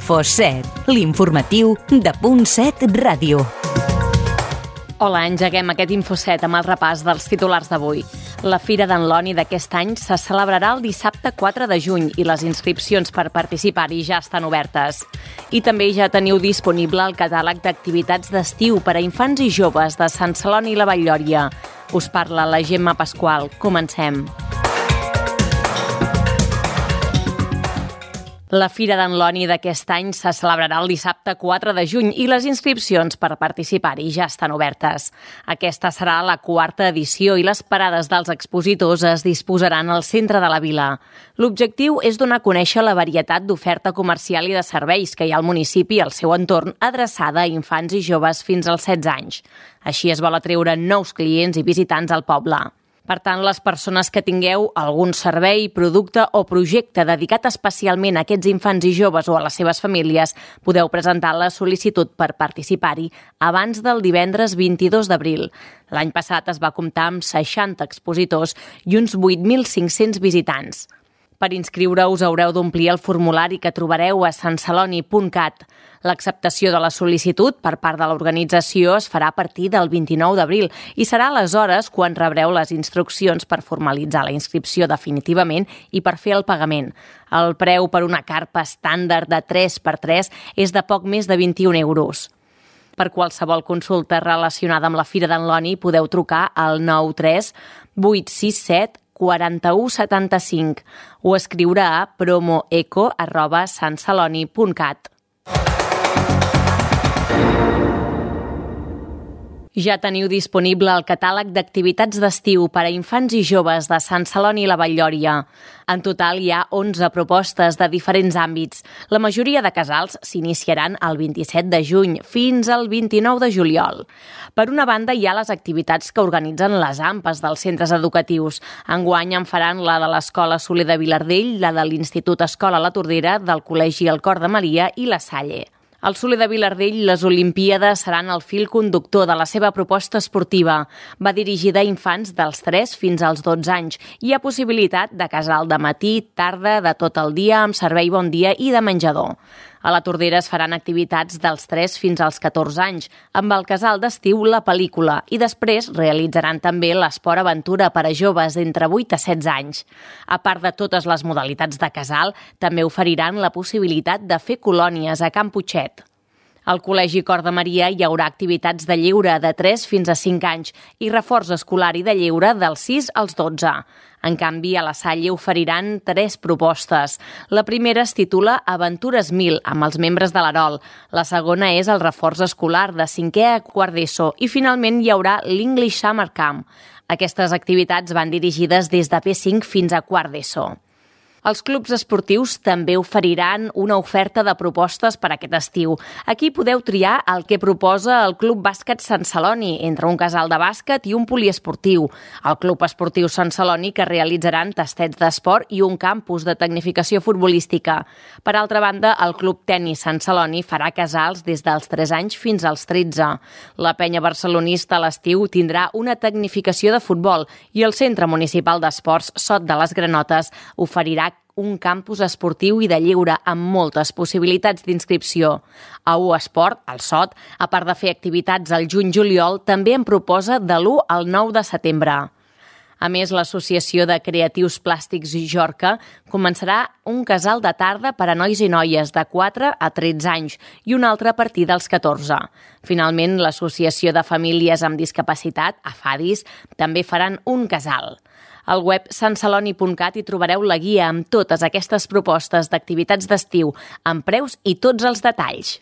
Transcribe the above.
Info7, l'informatiu de Punt7 Ràdio. Hola, engeguem aquest Info7 amb el repàs dels titulars d'avui. La Fira d'en Loni d'aquest any se celebrarà el dissabte 4 de juny i les inscripcions per participar-hi ja estan obertes. I també ja teniu disponible el catàleg d'activitats d'estiu per a infants i joves de Sant Celoni i la Vall-lloria. Us parla la Gemma Pasqual. Comencem. La Fira d'en Loni d'aquest any se celebrarà el dissabte 4 de juny i les inscripcions per participar-hi ja estan obertes. Aquesta serà la 4ª edició i les parades dels expositors es disposaran al centre de la vila. L'objectiu és donar a conèixer la varietat d'oferta comercial i de serveis que hi ha al municipi i al seu entorn adreçada a infants i joves fins als 16 anys. Així es vol atreure nous clients i visitants al poble. Per tant, les persones que tingueu algun servei, producte o projecte dedicat especialment a aquests infants i joves o a les seves famílies, podeu presentar la sol·licitud per participar-hi abans del divendres 22 d'abril. L'any passat es va comptar amb 60 expositors i uns 8.500 visitants. Per inscriure-us haureu d'omplir el formulari que trobareu a santceloni.cat. L'acceptació de la sol·licitud per part de l'organització es farà a partir del 29 d'abril i serà aleshores quan rebreu les instruccions per formalitzar la inscripció definitivament i per fer el pagament. El preu per una carpa estàndard de 3x3 és de poc més de 21 euros. Per qualsevol consulta relacionada amb la Fira d'en Loni podeu trucar al 93 867 4175 o escriure a promoeco@santceloni.cat. Ja teniu disponible el catàleg d'activitats d'estiu per a infants i joves de Sant Celoni i la Vall-lloria. En total hi ha 11 propostes de diferents àmbits. La majoria de casals s'iniciaran el 27 de juny fins al 29 de juliol. Per una banda, hi ha les activitats que organitzen les AMPAs dels centres educatius. Enguany en faran la de l'Escola Soler de Vilardell, la de l'Institut Escola La Tordera, del Col·legi El Cor de Maria i la Salle. Al Soler de Vilardell, les Olimpíades seran el fil conductor de la seva proposta esportiva. Va dirigida a infants dels 3 fins als 12 anys. Hi ha possibilitat de casal de matí, tarda, de tot el dia, amb servei bon dia i de menjador. A la Tordera es faran activitats dels 3 fins als 14 anys, amb el casal d'estiu La Pel·lícula, i després realitzaran també l'esport aventura per a joves d'entre 8 a 16 anys. A part de totes les modalitats de casal, també oferiran la possibilitat de fer colònies a Can Putxet. Al Col·legi Cor de Maria hi haurà activitats de lleure de 3 fins a 5 anys i reforç escolar i de lleure dels 6 als 12. En canvi, a la Salle oferiran 3 propostes. La primera es titula Aventures 1000, amb els membres de l'Arol. La segona és el reforç escolar de 5è a quart d'ESO i finalment hi haurà l'English Summer Camp. Aquestes activitats van dirigides des de P5 fins a quart d'ESO. Els clubs esportius també oferiran una oferta de propostes per aquest estiu. Aquí podeu triar el que proposa el Club Bàsquet Sant Celoni, entre un casal de bàsquet i un poliesportiu. El Club Esportiu Sant Celoni, que realitzaran tastets d'esport i un campus de tecnificació futbolística. Per altra banda, el Club Tenis Sant Celoni farà casals des dels 3 anys fins als 13. La penya barcelonista a l'estiu tindrà una tecnificació de futbol i el Centre Municipal d'Esports Sot de les Granotes oferirà un campus esportiu i de lleure amb moltes possibilitats d'inscripció. A U Esport, al Sot, a part de fer activitats al juny-juliol, també en proposa de l'1 al 9 de setembre. A més, l'Associació de Creatius Plàstics Jorca començarà un casal de tarda per a nois i noies de 4 a 13 anys i un altre a partir dels 14. Finalment, l'Associació de Famílies amb Discapacitat, AFADIS, també faran un casal. Al web santceloni.cat hi trobareu la guia amb totes aquestes propostes d'activitats d'estiu, amb preus i tots els detalls.